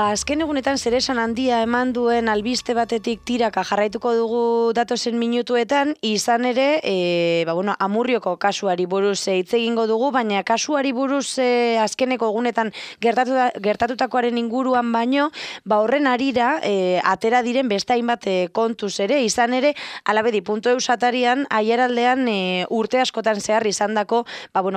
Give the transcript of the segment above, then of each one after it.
Azken egunetan zeresan handia eman duen albiste batetik tiraka jarraituko dugu datozen minutuetan, izan ere, Amurrioko kasuari buruz hitz egingo dugu, baina kasuari buruz azkeneko egunetan gertatutakoaren inguruan baino, horren arira atera diren beste hainbat kontuz ere, izan ere, alabedi.eu satarian, aieraldean urte askotan zehar izandako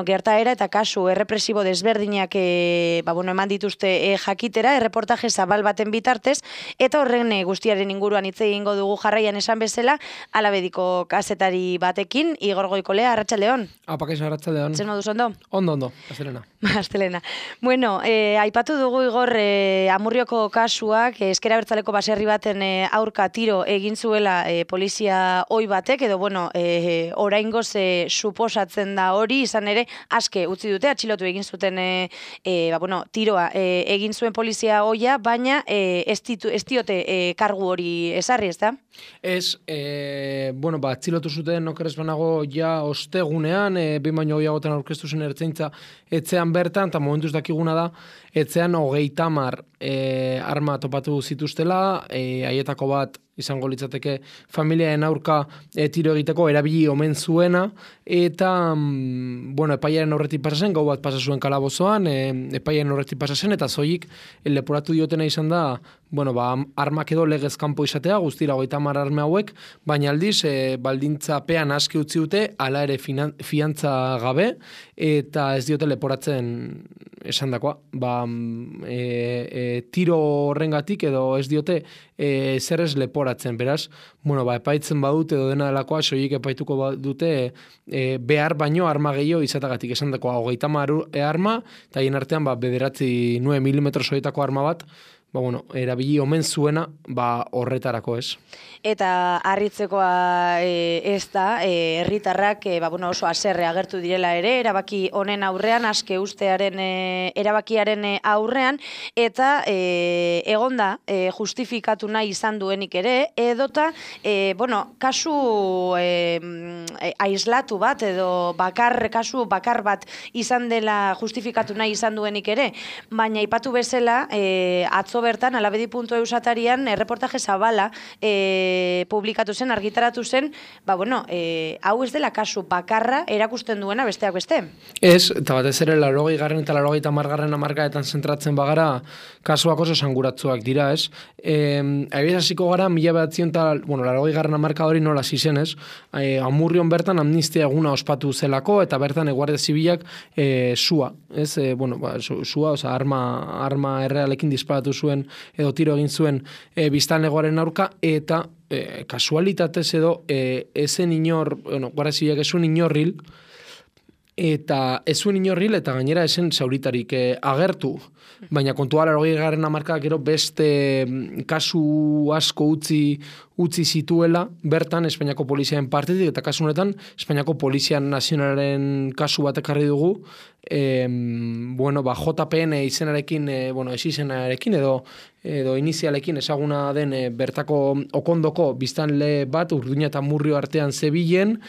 gertaera eta kasu errepresibo desberdinak eman dituzte jakitera, erreportaje zabal baten bitartez, eta horren guztiaren inguruan hitz egingo dugu jarraian esan bezala, alabediko kazetari batekin, Igor Goikolea, arratsaldeon. Kaixo, arratsaldeon. Zer moduz ondo? Ondo, astelena. Astelena. Bueno, aipatu dugu Igor Amurrioko kasuak, Ezker Abertzaleko baserri baten aurka tiro egin zuela polizia ohi batek, edo oraingoz suposatzen da hori, izan ere, aske utzi dute, atxilotu egin zuten tiroa egin zuen polizia ohia, baina ez diote kargu hori ezarri, ez da? Ez, atzilotu zuten okerrez banago ja ostegunean, behin baino gehiagotan aurkeztu zen ertzaintza etxean bertan, eta momentuz dakiguna da, etxean 30 arma topatu zituztela, haietako bat izango litzateke familiaren aurka tiro egiteko erabili omen zuena, eta epaiaren aurretik pasa zen, gau bat pasa zuen kalabozoan, epaiaren aurretik pasa zen, eta zoik leporatu diotena izan da, armak edo legez kanpo izatea, guztira 30 arme hauek, baina aldiz, baldintzapean aski utzi dute, hala ere fiantza gabe, eta ez diote leporatzen esandakoa, tiro horrengatik edo ez diote zer ez leporatzen, beraz, epaitzen badute edo dena delakoa, soilik epaituko dute behar baino arma gehiago izatagatik esandakoa, 30 arma, eta hien artean 9 mm zoietako arma bat, erabili omen zuena horretarako ez. Eta harritzekoa ez da, herritarrak oso haserre agertu direla ere, erabaki honen aurrean, aske ustearen erabakiaren aurrean, eta egonda justifikatu nahi izan duenik ere, edota, kasu aislatu bat, edo kasu bakar bat izan dela justifikatu nahi izan duenik ere, baina ipatu bezala, atzo bertan, alabedi.eu satarian, reportaje zabala publikatu zen, argitaratu zen, hau ez dela kasu bakarra erakusten duena besteak beste. Ez, eta batez ere 80. eta 90. hamarkadetan zentratzen bagara, kasuak oso esanguratsuak dira, ez? Abiez hasiko gara, 80. hamarkada hori nola zizen, ez? Amurrion bertan amnistia eguna ospatu zelako, eta bertan Guardia Zibilak sua, ez? Sua, arma errealekin disparatu zuen edo tiro egin zuen biztanlegoaren aurka, eta kasualitatez edo ezen inor, Guardia Zibilak esun inorril, eta gainera esen zauritarik agertu, baina kontua 80. hamarkadak gero beste kasu asko utzi zituela bertan Espainiako poliziaren partetik, eta kasu honetan Espainiako Polizia Nazionalaren kasu bat ekarri dugu, JPN izenarekin, esizenarekin edo inizialekin ezaguna den bertako okondoko biztanle bat, Urduña eta Murrio artean zebilen,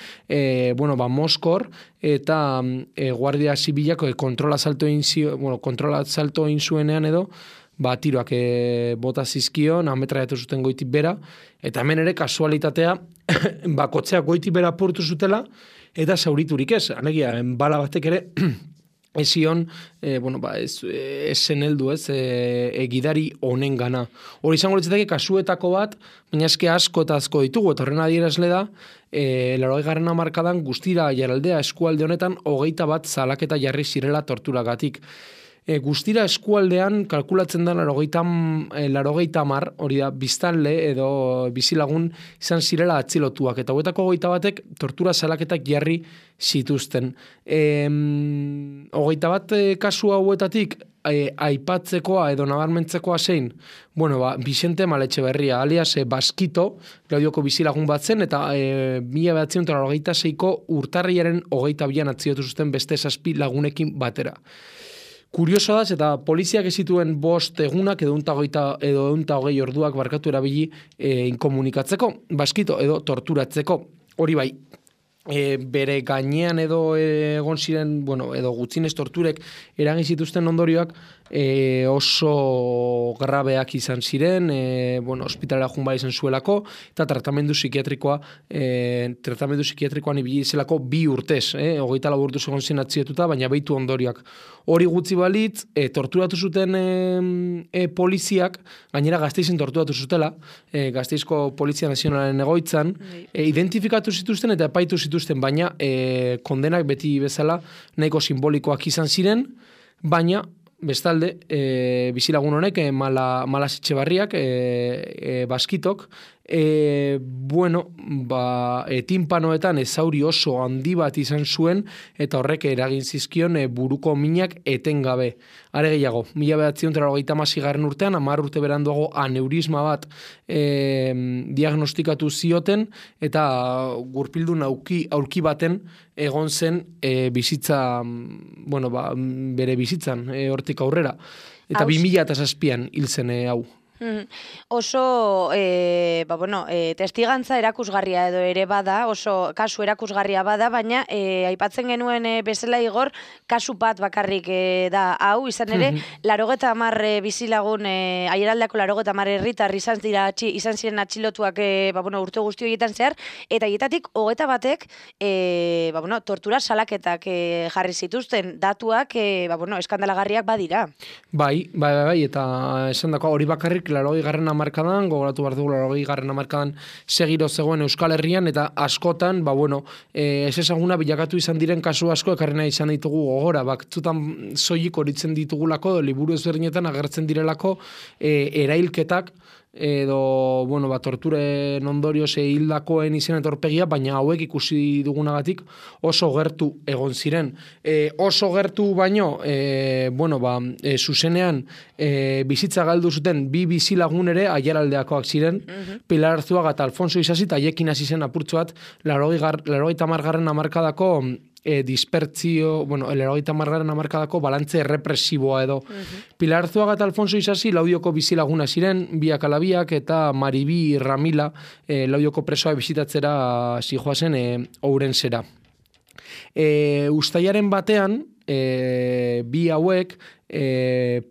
Moskor, eta Guardia Zibilak kontrola salto egin zuenean edo, tiroak bota zizkion, ametraiatu zuten goitik bera, eta hemen ere kasualitatea, kotxeak goitik bera apurtu zutela, eta zauriturik ez, alegia, bala batek ere, ezion, ez zen heldu ez, gidari honen gana. Hori izango litzateke kasuetako bat, baina eske asko eta asko ditugu, eta horren adierazle da, 80. hamarkadan guztira jaraldea eskualde honetan 21 salaketa jarri zirela torturagatik. Guztira eskualdean kalkulatzen da 80, hori da, biztanle edo bizilagun izan zirela atzilotuak, eta hoetako 21 tortura salaketak jarri zituzten. 21 kasu hauetatik aipatzekoa edo nabarmentzekoa zein, Vicente Maletxeberria, alias Baskito, Claudioko bizilagun bat zen, eta 1986ko urtarriaren 22an atzilotu zuten beste 7 lagunekin batera. Kurioso da, eta poliziak ez zituen 5 egunak edo 120 orduak barkatu erabili inkomunikatzeko, Baskito edo torturatzeko. Hori bai, bere gainean edo egon ziren, bueno, edo gutxienez torturek eragin zituzten ondorioak oso grabeak izan ziren, bueno, ospitalera joan bai izan zuelako, eta tratamendu psikiatrikoan ibili zelako 2 urtez, 24 urtez egon zen atzietuta, baina behitu ondorioak. Hori gutxi balitz, torturatu zuten poliziak, gainera Gasteizen torturatu zutela, Gasteizko Polizia Nazionalaren egoitzan, identifikatu zituzten eta epaitu zituzten, baina kondenak beti bezala nahiko simbolikoak izan ziren, baina bestalde, bizilagun honek, Malas Etxebarriak, Baskitok, bueno, timpanoetan ezauri oso handi bat izan zuen, eta horrek eragin zizkion buruko minak etengabe. Are gehiago, 1936 urtean, 10 urte beranduago aneurisma bat diagnostikatu zioten, eta gurpildun aurki baten egon zen bizitza, bueno, bere bizitzan, hortik aurrera. Eta 2007an hil zen hau. Oso testigantza erakusgarria edo ere bada, oso kasu erakusgarria bada, baina aipatzen genuen bezala Igor, kasu bat bakarrik da hau, izan ere, 80 bizilagun, Aieraldeako 80 herritar izan ziren atxilotuak urte guzti horietan zehar, eta hietatik 21ek tortura salaketak jarri zituzten datuak eskandalagarriak badira. Bai, eta esan dako hori bakarrik 80. hamarkadan, gogoratu behar dugu 80. hamarkadan segiro zegoen Euskal Herrian, eta askotan, ez ezaguna bilakatu izan diren kasu asko ekarrena izan ditugu gogora, batzutan soilik horitzen ditugulako, liburu ezberdinetan agertzen direlako erailketak, edo, torturen ondorioz hildakoen izen etorpegia, baina hauek ikusi dugunagatik oso gertu egon ziren. Oso gertu baino, zuzenean bizitza galdu zuten 2 bizilagun ere Aieraldeakoak ziren, Pilar Arzuaga eta Alfonso Isasi, eta haiekin hasi zen apurtxo bat 80. hamarkadako dispertzio, el 80. hamarkadako balantze represiboa edo. Pilar Arzuaga eta Alfonso Isasi Laudioko bizilaguna ziren, biak ala biak, eta Maribi Ramila Laudioko presoa bisitatzera zijoazen Ourensera. Uztailaren batean, bi hauek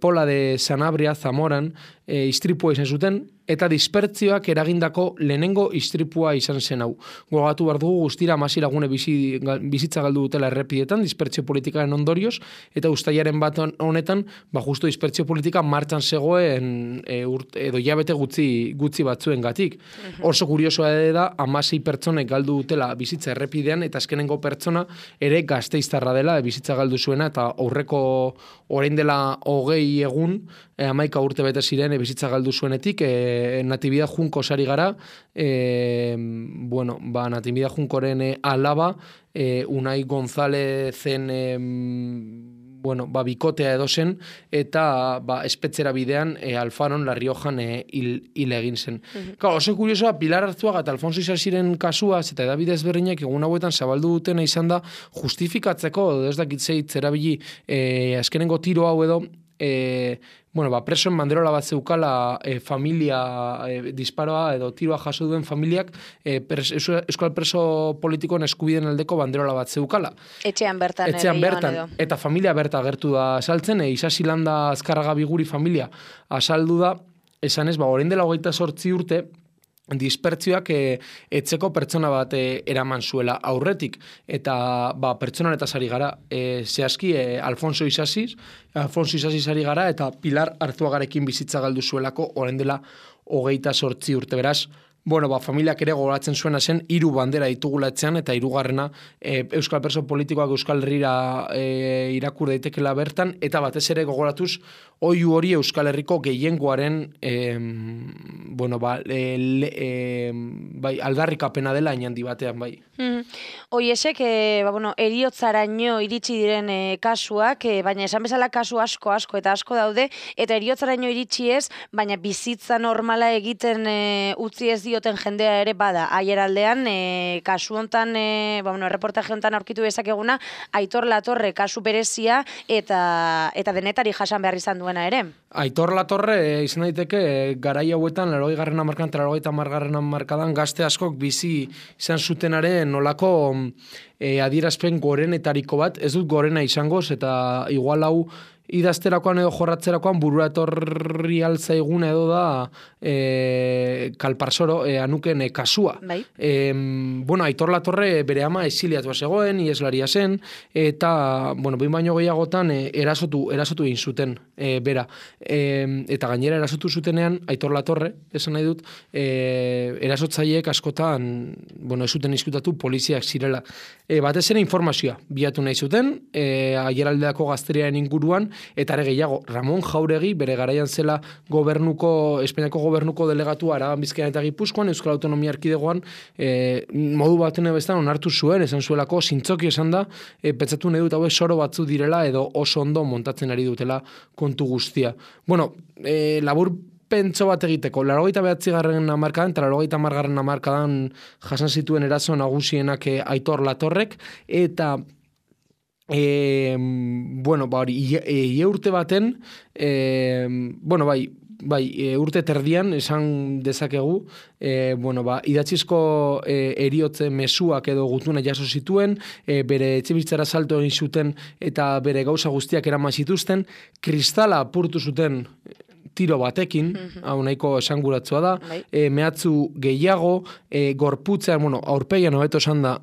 Pola de Sanabria Zamoran istripua izan zuten, eta dispertzioak eragindako lehenengo istripua izan zen hau. Gogatu behar dugu guztira 16 lagune bizitza galdu dutela errepidetan, dispertzio politikaren ondorioz, eta uztailaren bat honetan, justo dispertzio politika martxan zegoen edo jabete gutxi batzuen gatik. Oso kuriosoa da, 16 pertsonek galdu dutela bizitza errepidean, eta azkenengo pertsona ere Gasteiztarra dela, bizitza galdu zuena, eta aurreko orain dela 20 egun, 11 urte bete ziren bizitza galdu zuenetik, Natividad Junko sari gara, Natividad Junkoren alaba, Unai Gonzalezen bikotea edo zen, eta espetzera bidean Alfaron La Riojan hil egin zen. Oso kuriosoa, Pilar Arzuaga eta Alfonso Isasiren kasuaz, eta edabide ezberdinak egun hauetan zabaldu dutena izan da justifikatzeko, ez dakitzeit zerabili azkenengo tiro hau edo, presoen banderola bat zeukala familia disparoa edo tiroa jaso duen familiak euskal preso politikoen eskubideen aldeko banderola bat zeukala. Etxean bertan. Eta familia berta agertu da asaltzen, Isasi Landa Azkarraga Biguri familia asaldu da, esan ez, orain dela 28 urte, dispertzioak etzeko pertsona bat eraman zuela aurretik, eta pertsonanetaz ari gara, zehazki Alfonso Isasi ari gara, eta Pilar Arzuagarekin bizitza galdu zuelako orain dela 28 urte, beraz, familiak ere gogoratzen zuena zen 3 bandera ditugula etxean, eta 3. Euskal Preso politikoak Euskal Herrira irakur daitekela bertan, eta batez ere gogoratuz oihu hori Euskal Herriko gehiengoaren aldarrikapena dela inandi batean, bai. Oiesek, eriotzaraino iritsi diren kasuak, baina esan bezala kasu asko eta asko daude, eta eriotzaraino iritsi ez, baina bizitza normala egiten utzi ez dioten jendea ere bada. Aieraldean, kasu hontan, reportaje hontan aurkitu dezakeguna, Aitor Latorre kasu berezia eta denetari jasan behar izan duena ere. Aitor Latorre izan daiteke garai hauetan 80. hamarkadan eta 90. hamarkadan gazte askok bizi izan zutenaren nolako adierazpen gorenetariko bat, ez dut gorena izangoz, eta igual hau idazterakoan edo jorratzerakoan burura etorri altzaiguna edo da Kalparsoro anuken kasua. Bai. Aitor Latorre bere ama exiliatua zegoen, ieslaria zen, eta, behin baino gehiagotan erasotu egin zuten bera. Eta gainera erasotu zutenean, Aitor Latorre, esan nahi dut, erasotzaileek askotan, ez zuten izkutatu poliziak zirela. Batez ere informazioa bilatu nahi zuten, aieraldeako gazteriaren inguruan, eta ere gehiago, Ramon Jauregi, bere garaian zela Espainiako gobernuko delegatua Araban, Bizkaian eta Gipuzkoan, Euskal Autonomia Erkidegoan, modu baten bestan onartu zuen, esan zuelako, zintzoki esan da, pentsatu nahi dut hauek soro batzu direla, edo oso ondo montatzen ari dutela kontu guztia. Labur pentso bat egiteko, 89. hamarkadan eta 90. hamarkadan jasan zituen eraso nagusienak Aitor Latorrek, eta urte baten, urte terdian esan dezakegu, idatzizko eriotze mezuak edo gutuna jaso zituen, bere etxebizitzara salto egin zuten eta bere gauza guztiak eraman zituzten, kristala apurtu zuten tiro batekin, hau nahiko esanguratzua da, mehatzu gehiago, gorputzean, aurpegian hobeto esan da,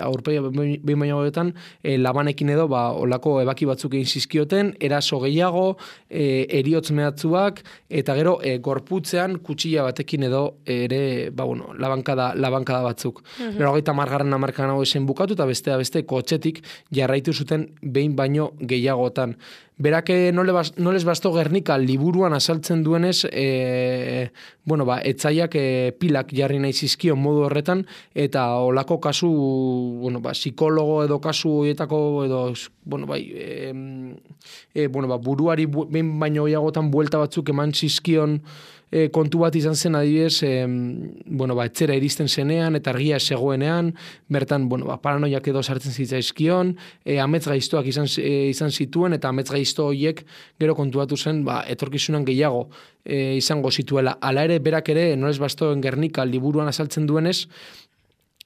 aurpegian behin baino hobetan, labanekin edo, olako ebaki batzuk egin zizkioten, eraso gehiago, eriotz mehatzuak, eta gero, gorputzean kutsilla batekin edo, ere, labankada batzuk. 90. hamarkadan hau esen bukatu, eta beste kotxetik jarraitu zuten behin baino gehiagotan. Berak no les bastó Gernika liburuan azaltzen duenez, etzaiak pilak jarri nahi zizkion modu horretan, eta olako kasu, psikologo edo kasu horietako, edo, buruari behin baino gehiagotan buelta batzuk eman zizkion kontu bat izan zen adibidez, etzera iristen zenean, eta argia zegoenean, bertan, paranoiak edo sartzen zitzaizkion, amets gaiztoak izan zituen, eta amets gaizto horiek gero kontuatu zen, etorkizunan gehiago izango zituela. Hala ere, berak ere, no les bastoen Gernika liburuan azaltzen duenez,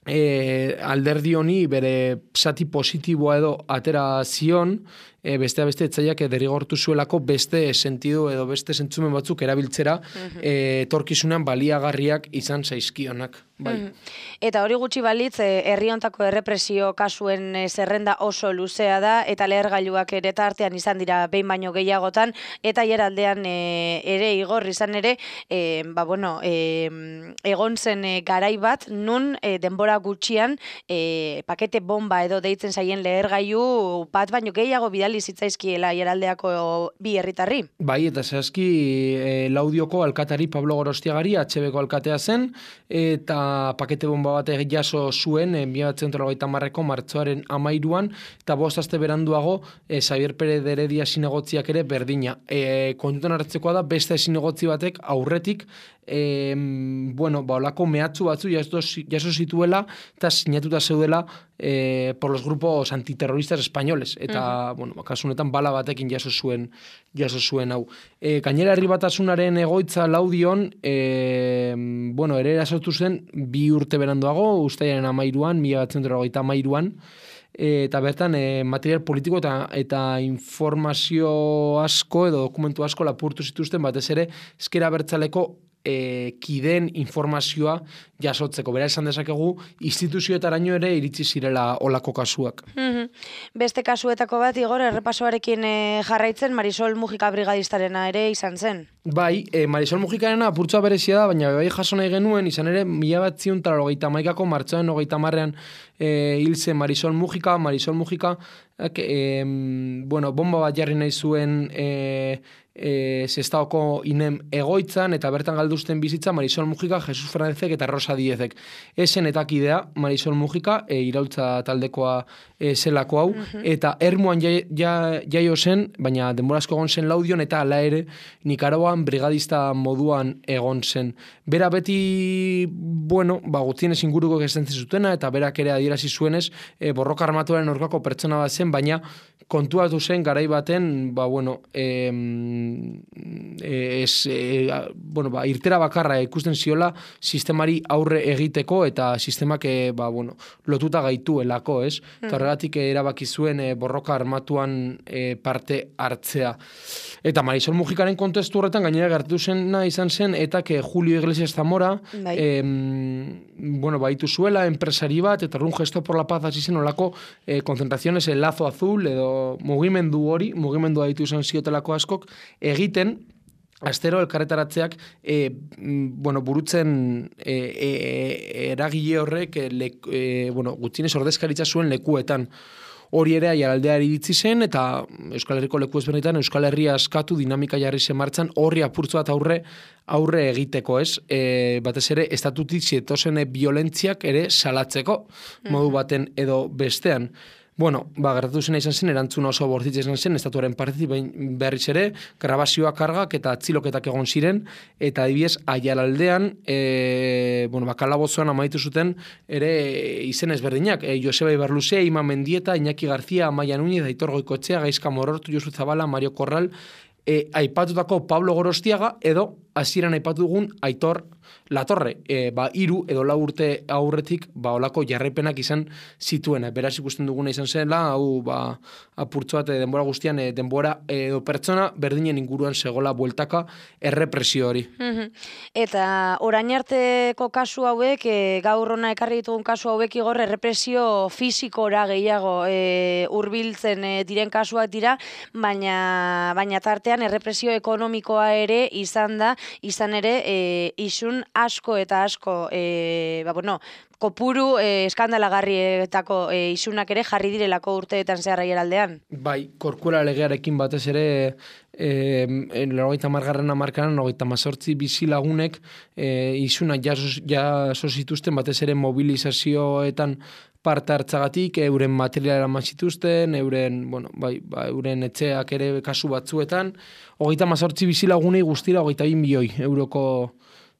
alderdi honi bere zati positiboa edo atera zion, beste etzaiak derrigortu zuelako beste sentidu edo beste zentzumen batzuk erabiltzera etorkizunan baliagarriak izan zaizkionak. Eta hori gutxi balitz, herri hontako errepresio kasuen zerrenda oso luzea da, eta lehergailuak ere tartean izan dira behin baino gehiagotan, eta hieraldean ere igor izan ere, egon zen garai bat, nun denbora gutxian pakete bomba edo deitzen zaien lehergailu bat baino gehiago bidali zitzaizkiela hieraldeako bi herritarri. Bai, eta zehazki Laudioko alkatari Pablo Gorostiagari, HB-ko alkatea zen, eta pakete bomba bat jaso zuen 1980ko martxoaren 13an, eta 5 aste beranduago Xavier Pérez de Heredia zinegotziak ere berdina. Kontutan hartzekoa da, beste zinegotzi batek aurretik olako mehatzu batzu jaso zituela eta sinatuta zeudela por los grupos antiterroristas españoles, eta kasunetan bala batekin jaso zuen hau. Gainera Herri Batasunaren egoitza Laudion ere erasotu zen 2 urte beranduago, uztailaren 13an, 1993an, eta bertan material politiko eta informazio asko edo dokumentu asko lapurtu zituzten, batez ere ezker abertzaleko kideen informazioa jasotzeko. Bera esan dezakegu, instituzioetaraino ere iritsi zirela olako kasuak. Beste kasuetako bat, Igor, errepasoarekin jarraitzen, Marisol Mujika brigadistarena ere izan zen. Bai, Marisol Mujikarena apurtzoa berezia da, baina bai jaso nahi genuen, izan ere, 1991ko martxoaren 30ean hil zen Marisol Mujika, bomba bat jarri nahi zuen Sestaoko inem egoitzan, eta bertan galduzten bizitza Marisol Mujika, Jesus Fernandezek eta Rosa Diezek. Esen etakidea Marisol Mujika, iraultza taldekoa zelako hau, eta Ermuan jaio zen, baina denborazko egon zen Laudion, eta ala ere Nikaragoan moduan, brigadista moduan egon zen. Bera beti, bueno, Gutienez inguruko estentzen zutena, eta berak ere adierazi zuenez, borroka armatuaren aurkako pertsona bat zen, baina kontuatu zen garai baten, irtera bakarra ikusten ziola sistemari aurre egiteko eta sistemak lotuta gaituelako, ez? Eta horregatik erabaki zuen borroka armatuan parte hartzea. Eta Marisol Mujikaren kontestu horretan gainera gertatu zena izan zen eta Julio Iglesias Zamora baitu zuela enpresari bat eta un gesto por la paz hasi zen olako concentraciones el lazo azul edo mugimendua ditu izan ziotelako askok egiten astero elkarretaratzeak burutzen eragile horrek gutxienez ordezkaritza zuen lekuetan. Hori ere Aiaraldeari iritsi zen eta Euskal Herriko leku ezberdinetan Euskal Herria askatu dinamika jarri zen martxan horri apurtzu bat aurre egiteko, ez? Batez ere estatutik zietozen violentziak ere salatzeko modu baten edo bestean. Gertatu zena izan zen, erantzun oso bortitza izan zen, estatuaren partetik berriz ere, grabazioak kargak eta atziloketak egon ziren, eta adibidez, Aiaraldean, kalabozoan amaitu zuten, ere izen ezberdinak, Joseba Ibarluzea, Ima Mendieta, Iñaki García, Amaia Núñez, Aitor Goikoetxea, Gaizka Morortu, Josu Zabala, Mario Corral, aipatutako Pablo Gorostiaga, edo hasieran aipatu dugun Aitor Latorre, 3 edo 4 urte aurretik olako jarraipenak izan zituen. Beraz ikusten duguna izan zela, hau apurtzu bat denbora guztian, denbora edo pertsona berdinen inguruan zegoela bueltaka errepresio hori. Eta orain arteko kasu hauek, gaur hona ekarri ditugun kasu hauek igor errepresio fisikora gehiago hurbiltzen diren kasuak dira, baina tartean errepresio ekonomikoa ere izan ere isun asko eta asko kopuru eskandalagarrietako isunak ere jarri direlako urteetan zehar Aiaraldean. Bai, Korkuera legearekin batez ere 90. hamarkadan 98 bizilagunek isunak jaso zituzten batez ere mobilizazioetan parte hartzagatik, euren materiala eraman zituzten, euren etxeak ere kasu batzuetan, 98 bizilagunei guztira 22 milioi euroko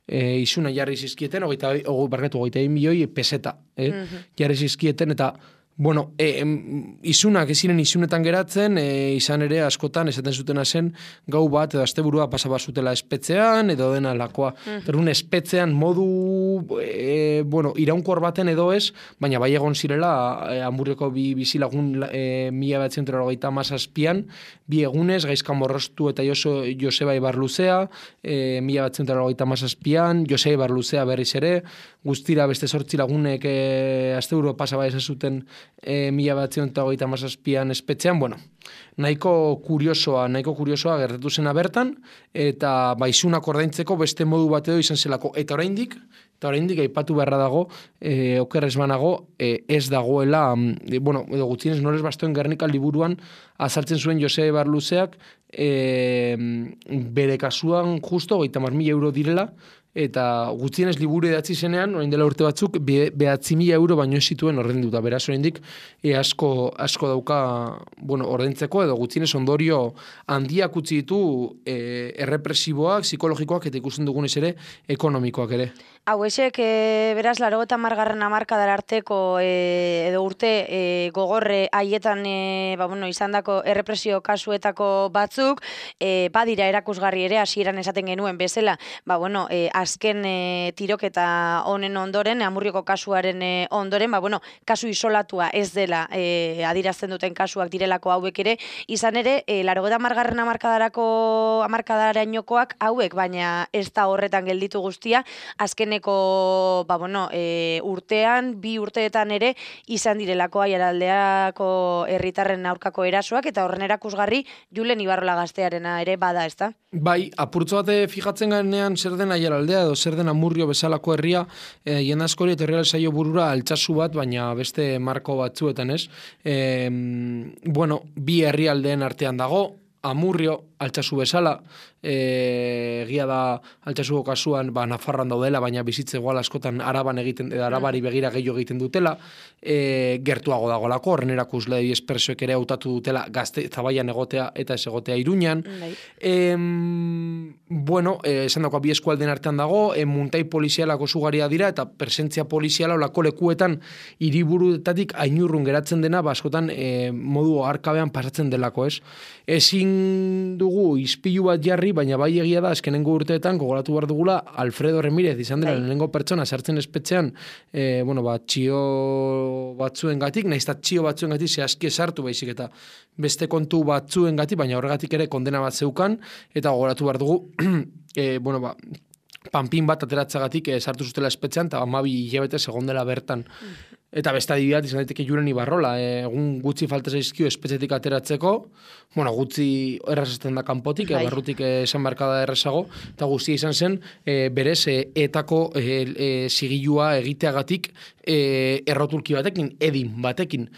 isuna jarri zizkieten, 22 milioi peseta jarri zizkieten, eta isunak eziren isunetan geratzen, izan ere askotan esaten zutena zen gau bat edo asteburua pasaba zutela espetzean edo dena lakoa. Terun espetzean modu iraunkor baten edo ez, baina bai egon zirela Amurrioko bizilagun 1987an, 2 egunez, Gaizka Morrostu eta Joseba Ibarluzea, 1987an, Joseba Ibarluzea berriz ere, guztira beste 8 lagunek asteburua pasaba izan zuten 1987an espetzean, nahiko kuriosoa gertatu zena bertan, eta isunak ordaintzeko beste modu bat edo izan zelako. Eta oraindik aipatu beharra dago, okerrez banago, ez dagoela, edo gutxienez Nores Bastoen Gernika liburuan azaltzen zuen Joseba Ibarluzeak, bere kasuan justo 30.000 euro direla, eta gutxienez liburu idatzi zenean, orain dela urte batzuk, 9.000 euro baino zituen ordainduta. Beraz, oraindik asko dauka ordaintzeko, edo gutxienez ondorio handiak utzi ditu errepresiboak, psikologikoak, eta ikusten dugunez ere, ekonomikoak ere. Hauexek, beraz, 80. hamarkadar arteko edo urte gogorre haietan izandako errepresio kasuetako batzuk, badira erakusgarri ere, hasieran esaten genuen bezala, azken tiroketa honen ondoren, Amurrioko kasuaren ondoren, kasu isolatua ez dela adirazten duten kasuak direlako hauek ere, izan ere, 80. hamarkadarainokoak hauek, baina ez da horretan gelditu guztia, azkeneko urtean, 2 urteetan ere, izan direlako Aiaraldeako herritarren aurkako erasoak, eta horren erakusgarri Julen Ibarrola gaztearena ere bada, ezta? Bai, apurtzo bate fijatzen ganean zer den Aiaraldea edo zer den Amurrio bezalako herria, jende askori eta herrial saio burura altsasu bat, baina beste marko batzuetan, ez? Bi herrialdeen artean dago, Amurrio, altsasu bezala, egia da Altsasuko kasuan Nafarroan daudela, baina bizitze igual askotan Arabari begira gehiago egiten dutela, gertuago dagolako, horren erakusle espresoek ere hautatu dutela Zabaian egotea eta ez egotea Iruñan. Bueno, esan dagoa bi eskualden artean dago, muntai polizialako zugaria dira, eta presentzia poliziala olako lekuetan hiriburuetatik ainurrun geratzen dena, askotan modu arkabean pasatzen delako, ez? Ezin dugu ispilu bat jarri, baina bai egia da, azkenengo urteetan, gogoratu behar dugula, Alfredo Remirez izan dela lehenengo pertsona sartzen espetxean, txio batzuen gatik, nahiz eta txio batzuen gatik zehazki sartu baizik, eta beste kontu batzuen gatik, baina horregatik ere kondena bat zeukan, eta gogoratu behar dugu, panpin bat ateratzagatik sartu zutela espetxean, eta 12 hilabete segondela bertan. Eta beste adibidat izan daiteke Julen Ibarrola, egun gutxi falta zaizkio espetxetik ateratzeko, gutxi errazesten da kanpotik, barrutik esan barkada errazago, eta guztia izan zen, berez, etako zigilua egiteagatik errotulki batekin, edin batekin,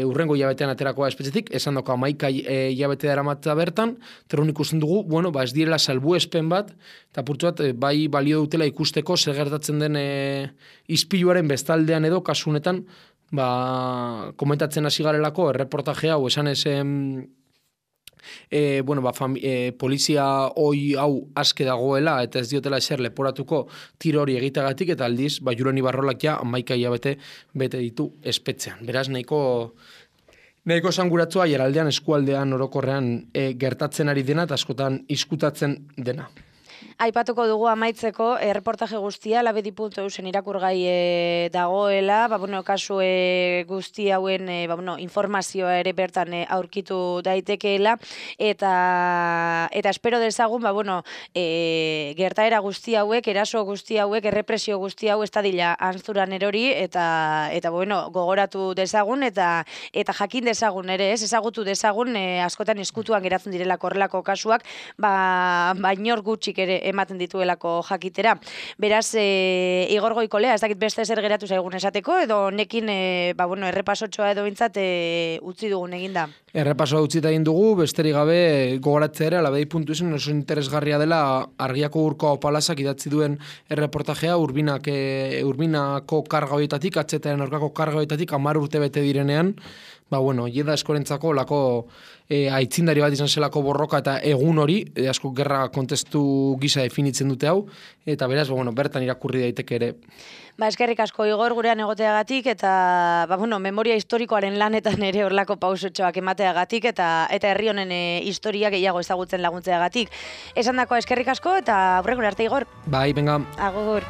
urrengo hilabetean aterakoa espetxetik, esan dako 11 hilabete daramatza bertan, terun ikusten dugu, ez direla salbuespen bat, eta purtsu bat, bai balio dutela ikusteko zer gertatzen den ispiluaren bestaldean edo, kasunetan, komentatzen hasi garelako, erreportaje hau, esan ezen, polizia hoi hau aske dagoela eta ez diotela eser leporatuko tiro hori egiteagatik, eta aldiz, Julen Ibarrolak 11 hilabete bete ditu espetxean. Beraz, nahiko esanguratsua jaraldean eskualdean orokorrean gertatzen ari dena eta askotan izkutatzen dena. Aipatuko dugu amaitzeko, erreportaje guztia, labedi.eusen irakurgai dagoela, kasu guzti hauen informazioa ere bertan aurkitu daitekeela, eta espero dezagun, gertaera guzti hauek, eraso guzti hauek, errepresio guzti hau ez dadila antzuran erori, eta gogoratu dezagun, eta jakin dezagun ere, ezagutu dezagun, askotan eskutuan geratzen direlako horrelako kasuak, bainor gutxik ere ematen dituelako jakitera. Beraz, Igor Goikolea, ez dakit beste zer geratu zaigun esateko, edo nekin errepasotxoa edo bintzat utzi dugun eginda. Errepasoa utzita egin dugu, besterik gabe gogoratzea ere, labedi.eusen oso interesgarria dela Argiako Urko Palazak idatzi duen erreportajea, Urbinako karga horietatik, atzetaren aurkako karga horietatik 10 urte bete direnean, jeda eskorentzako lako aitzindari bat izan zelako borroka eta egun hori, asko gerra kontestu gisa definitzen dute hau, eta beraz, bertan irakurri daiteke ere. Eskerrik asko Igor gurean egoteagatik, eta memoria historikoaren lanetan ere horlako pausotxoak emateagatik, eta herri honen historia gehiago ezagutzen laguntzeagatik. Esan dakoa eskerrik asko, eta aurrengora arte Igor. Bai, venga. Agur.